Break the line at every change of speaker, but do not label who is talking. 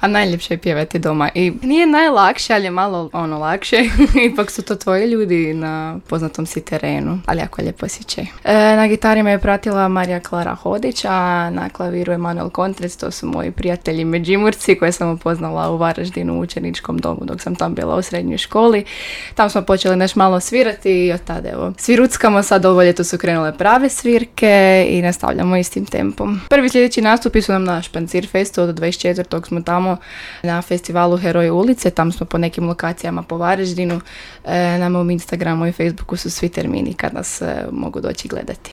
A najljepše je pjevati doma. I nije najlakše, ali je malo lakše. Ipak su to tvoji ljudi na poznatom si terenu. Ali jako lijep osjećaj. Na gitari me je pratila Marija Klara Hodić, a na klaviru Emanuel Kontrec. To su moji prijatelji Međimurci koje sam upoznala u Varaždinu u učeničkom domu dok sam tam bila u srednjoj školi. Tam smo počeli nešto malo svirati i od tada evo sviruckamo. Sad ovo ljeto su krenule prave svirke i nastavljamo istim tempom. Prvi sljedeći nastupi su nam na Špancir Festu, od 24. smo tamo na festivalu Heroji ulice, tam smo po nekim lokacijama po Varaždinu. Na mom Instagramu i Facebooku su svi termini kad nas mogu doći gledati.